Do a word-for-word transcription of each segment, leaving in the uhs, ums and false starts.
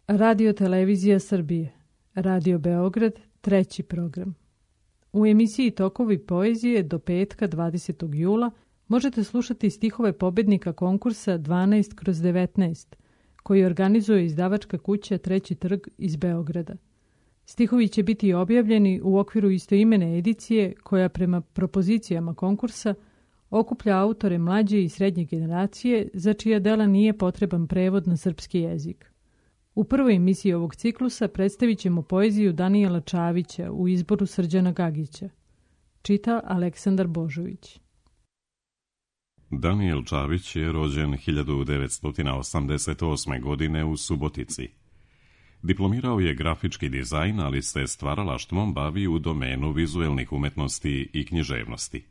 Radio Televizija Srbije, Radio Beograd, treći program. U emisiji Tokovi poezije do petka dvadesetog jula možete slušati stihove pobednika konkursa dvanaest kroz devetnaest, koji organizuje izdavačka kuća Treći trg iz Beograda. Stihovi će biti objavljeni u okviru istoimene edicije koja prema propozicijama konkursa okuplja autore mlađe i srednje generacije za čija dela nije potreban prevod na srpski jezik. U prvoj emisiji ovog ciklusa predstavit ćemo poeziju Danijela Čavića u izboru Srđana Gagića. Čita Aleksandar Božović. Danijel Čavić je rođen hiljadu devetsto osamdeset osme. godine u Subotici. Diplomirao je grafički dizajn, ali se stvaralaštvom bavi u domenu vizuelnih umetnosti i književnosti.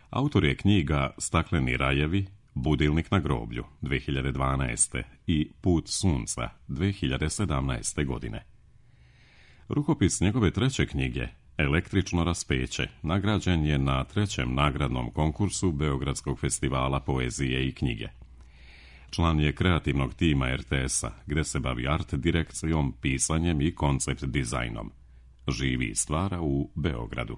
Autor je knjiga Stakleni rajevi, Budilnik na groblju dve hiljade dvanaeste. i Put sunca dve hiljade sedamnaeste. godine. Rukopis njegove treće knjige, Električno raspeće, nagrađen je na trećem nagradnom konkursu Beogradskog festivala poezije i knjige. Član je kreativnog tima er te es-a, gde se bavi art direkcijom, pisanjem i koncept dizajnom. Živi i stvara u Beogradu.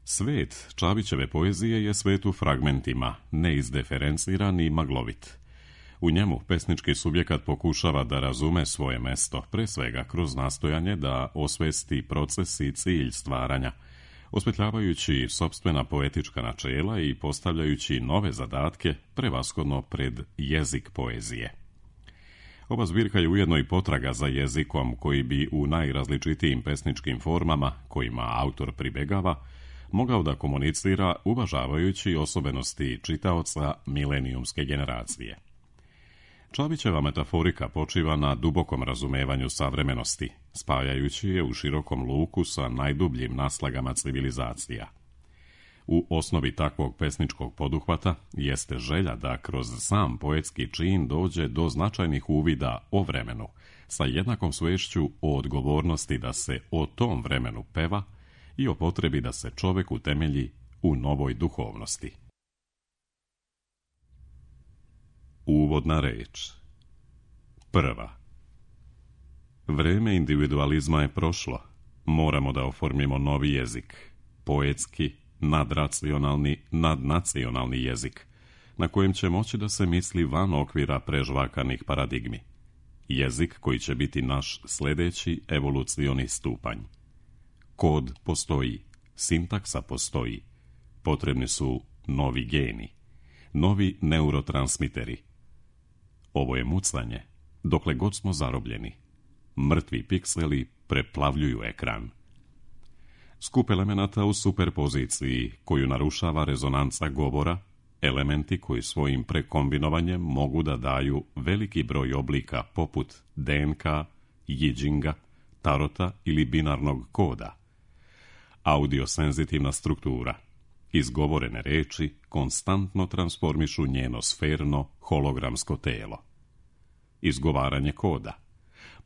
Svet Čavićeve poezije je svet u fragmentima, neizdiferenciran i maglovit. U njemu pesnički subjekat pokušava da razume svoje mesto, pre svega kroz nastojanje da osvesti proces i cilj stvaranja, osvetljavajući sopstvena poetička načela i postavljajući nove zadatke, prevashodno pred jezik poezije. Ova zbirka je ujedno i potraga za jezikom koji bi u najrazličitijim pesničkim formama, kojima autor pribegava, mogao da komunicira uvažavajući osobenosti čitaoca milenijumske generacije. Čavićeva metaforika počiva na dubokom razumevanju savremenosti, spajajući je u širokom luku sa najdubljim naslagama civilizacija. U osnovi takvog pesničkog poduhvata jeste želja da kroz sam poetski čin dođe do značajnih uvida o vremenu, sa jednakom svešću o odgovornosti da se o tom vremenu peva i o potrebi da se čovek utemelji u novoj duhovnosti. Uvodna reč. Prva. Vreme individualizma je prošlo. Moramo da oformimo novi jezik. Poetski, nadracionalni, nadnacionalni jezik, na kojem će moći da se misli van okvira prežvakanih paradigmi. Jezik koji će biti naš sledeći evolucioni stupanj. Kod postoji, sintaksa postoji. Potrebni su novi geni, novi neurotransmiteri. Ovo je mucanje, dokle god smo zarobljeni. Mrtvi pikseli preplavljuju ekran. Skup elemenata u superpoziciji, koju narušava rezonanca govora, elementi koji svojim prekombinovanjem mogu da daju veliki broj oblika poput de en ka, jidžinga, tarota ili binarnog koda. Audiosenzitivna struktura. Izgovorene reči konstantno transformišu njeno sferno hologramsko telo. Izgovaranje koda.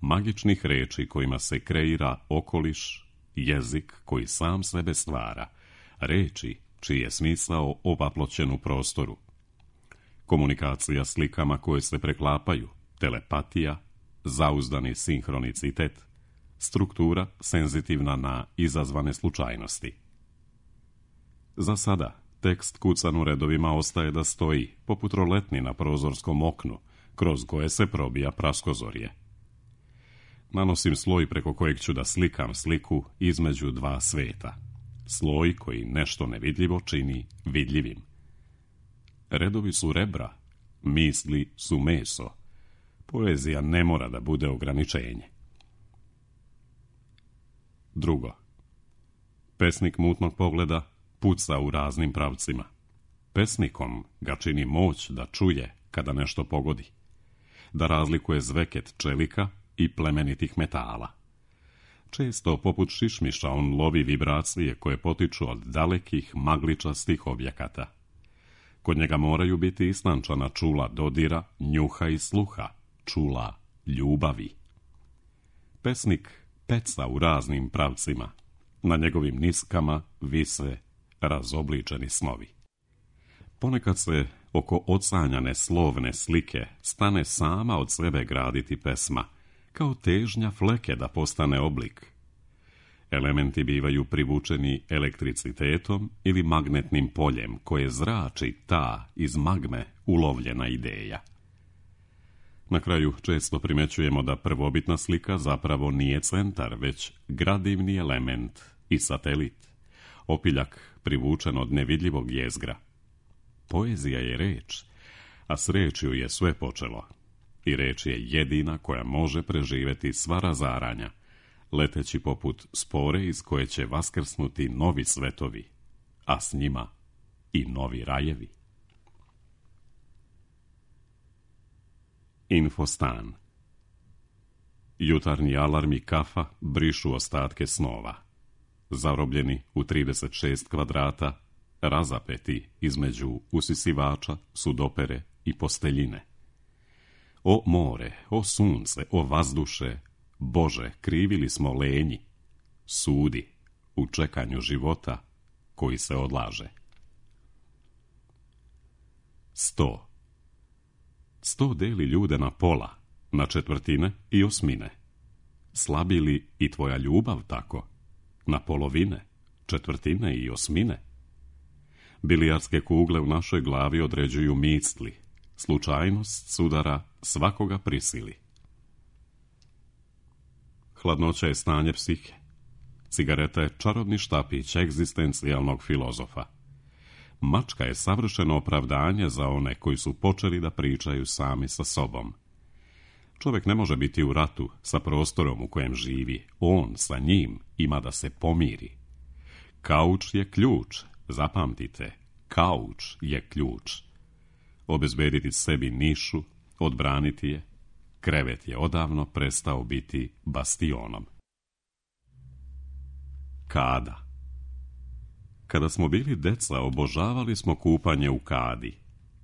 Magičnih reči kojima se kreira okoliš, jezik koji sam sebe stvara, reči čiji je smisao ovaploćen u prostoru. Komunikacija slikama koje se preklapaju, telepatija, zauzdani sinhronicitet, struktura senzitivna na izazvane slučajnosti. Za sada, tekst kucan u redovima ostaje da stoji, poput roletni na prozorskom oknu, kroz koje se probija praskozorje. Nanosim sloj preko kojeg ću da slikam sliku između dva sveta. Sloj koji nešto nevidljivo čini vidljivim. Redovi su rebra, misli su meso. Poezija ne mora da bude ograničenje. Drugo. Pesnik mutnog pogleda puca u raznim pravcima. Pesnikom ga čini moć da čuje kada nešto pogodi, da razlikuje zveket čelika i plemenitih metala. Često, poput šišmiša, on lovi vibracije koje potiču od dalekih magličastih objekata. Kod njega moraju biti istančana čula dodira, njuha i sluha, čula ljubavi. Pesnik peca u raznim pravcima. Na njegovim niskama vise razobličeni snovi. Ponekad se oko ocanjane slovne slike stane sama od sebe graditi pesma, kao težnja fleke da postane oblik. Elementi bivaju privučeni elektricitetom ili magnetnim poljem koje zrači ta iz magme ulovljena ideja. Na kraju često primećujemo da prvobitna slika zapravo nije centar, već gradivni element i satelit, opiljak privučen od nevidljivog jezgra. Poezija je reč, a s rečju je sve počelo. I reč je jedina koja može preživjeti sva razaranja, leteći poput spore iz koje će vaskrsnuti novi svetovi, a s njima i novi rajevi. Infostan. Jutarnji alarm i kafa brišu ostatke snova. Zarobljeni u trideset šest kvadrata, razapeti između usisivača, sudopere i posteljine. O more, o sunce, o vazduše, Bože, krivili smo lenji. Sudi u čekanju života koji se odlaže. Sto. Sto deli ljude na pola, na četvrtine i osmine. Slabi li i tvoja ljubav tako? Na polovine, četvrtine i osmine? Bilijarske kugle u našoj glavi određuju misli. Slučajnost sudara svakoga prisili. Hladnoća je stanje psihe. Cigareta je čarobni štapić egzistencijalnog filozofa. Mačka je savršeno opravdanje za one koji su počeli da pričaju sami sa sobom. Čovjek ne može biti u ratu sa prostorom u kojem živi. On sa njim ima da se pomiri. Kauč je ključ, zapamtite, kauč je ključ. Obezbediti sebi nišu, odbraniti je, krevet je odavno prestao biti bastionom. Kada. Kada smo bili deca, obožavali smo kupanje u kadi.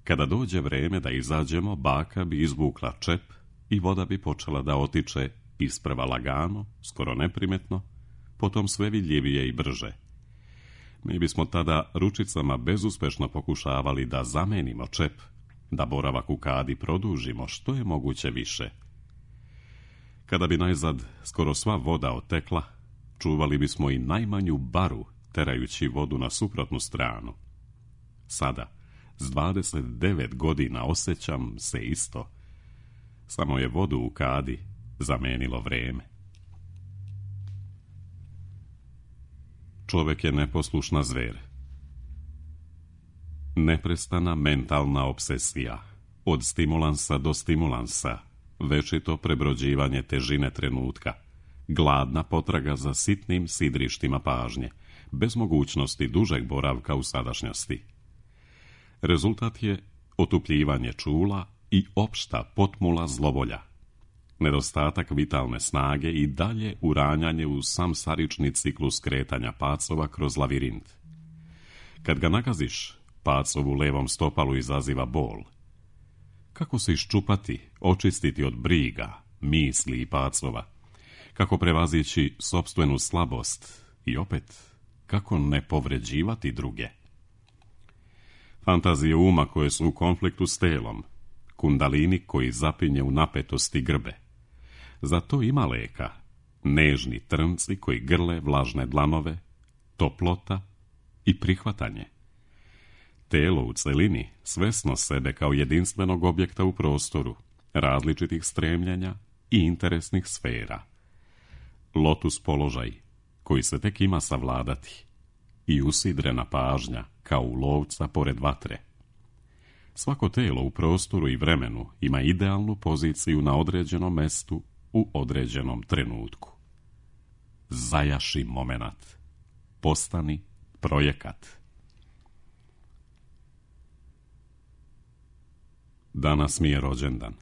Kada dođe vreme da izađemo, baka bi izvukla čep i voda bi počela da otiče isprva lagano, skoro neprimetno, potom sve vidljivije i brže. Mi bismo tada ručicama bezuspešno pokušavali da zamenimo čep, da boravak u kadi produžimo što je moguće više. Kada bi najzad skoro sva voda otekla, čuvali bismo i najmanju baru, terajući vodu na suprotnu stranu. Sada, s dvadeset devet godina, osjećam se isto. Samo je vodu u kadi zamenilo vreme. Čovjek je neposlušna zver. Neprestana mentalna obsesija. Od stimulansa do stimulansa. Večito prebrođivanje težine trenutka. Gladna potraga za sitnim sidrištima pažnje, bez mogućnosti dužeg boravka u sadašnjosti. Rezultat je otupljivanje čula i opšta potmula zlovolja. Nedostatak vitalne snage i dalje uranjanje u samsarični ciklus kretanja pacova kroz lavirint. Kad ga nagaziš, pacov u levom stopalu izaziva bol. Kako se iščupati, očistiti od briga, misli i pacova? Kako prevazići sopstvenu slabost i opet, kako ne povređivati druge? Fantazije uma koje su u konfliktu s telom, kundalini koji zapinje u napetosti grbe. Zato ima leka, nežni trnci koji grle vlažne dlanove, toplota i prihvatanje. Telo u celini, svesno sebe kao jedinstvenog objekta u prostoru, različitih stremljenja i interesnih sfera. Lotus položaj, koji se tek ima savladati, i usidrena pažnja kao u lovca pored vatre. Svako telo u prostoru i vremenu ima idealnu poziciju na određenom mestu u određenom trenutku. Zajaši momenat. Postani projekat. Danas mi je rođendan.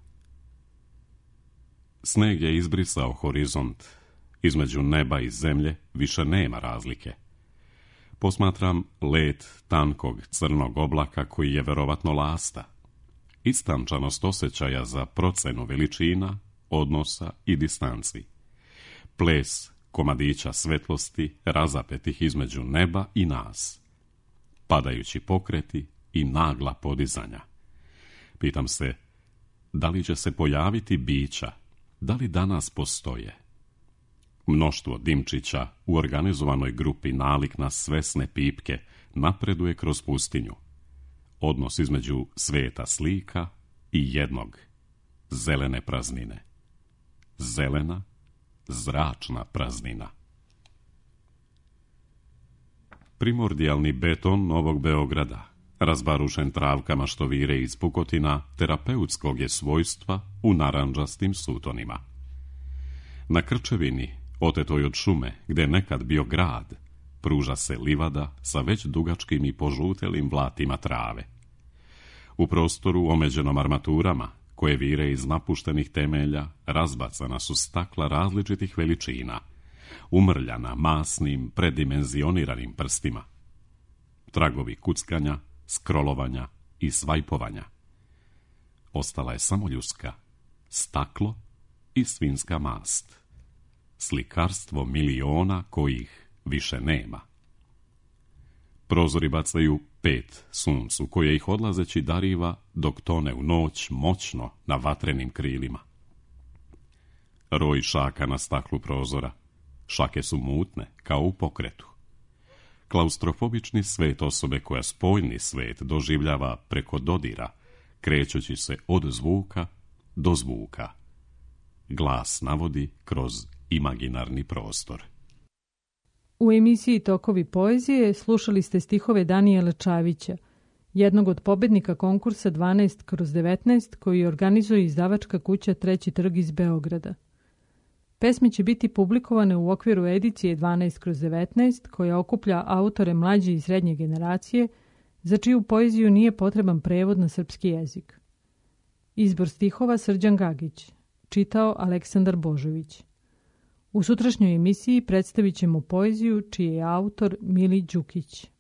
Sneg je izbrisao horizont. Između neba i zemlje više nema razlike. Posmatram let tankog crnog oblaka koji je verovatno lasta. Istančanost osjećaja za procenu veličina, odnosa i distanci. Ples komadića svetlosti razapetih između neba i nas. Padajući pokreti i nagla podizanja. pitam se, da li će se pojaviti bića, da li danas postoje? Mnoštvo dimčića u organizovanoj grupi nalik na svesne pipke napreduje kroz pustinju. Odnos između sveta slika i jednog, zelene praznine. Zelena, zračna praznina. Primordijalni beton Novog Beograda, razbarušen travkama što vire iz pukotina, terapeutskog je svojstva u narandžastim sutonima. Na krčevini, otetoj od šume, gde je nekad bio grad, pruža se livada sa već dugačkim i požutelim vlatima trave. U prostoru omeđenom armaturama, koje vire iz napuštenih temelja, razbacana su stakla različitih veličina, umrljana masnim, predimenzioniranim prstima. Tragovi kuckanja, skrolovanja i svajpovanja. Ostala je samo ljuska, staklo i svinjska mast. Slikarstvo miliona kojih više nema. Prozori bacaju pet suncu, koje ih odlazeći dariva dok tone u noć moćno na vatrenim krilima. Roj šaka na staklu prozora. Šake su mutne, kao u pokretu. Klaustrofobični svet osobe koja spoljni svet doživljava preko dodira, krećući se od zvuka do zvuka. Glas navodi kroz imaginarni prostor. U emisiji Tokovi poezije slušali ste stihove Danijela Čavića, jednog od pobednika konkursa dvanaest kroz devetnaest koji organizuje izdavačka kuća Treći trg iz Beograda. Pesme će biti publikovane u okviru edicije dvanaest kroz devetnaest koja okuplja autore mlađe i srednje generacije za čiju poeziju nije potreban prevod na srpski jezik. Izbor stihova Srđan Gagić, čitao Aleksandar Božović. U sutrašnjoj emisiji predstavit ćemo poeziju čiji je autor Mili Đukić.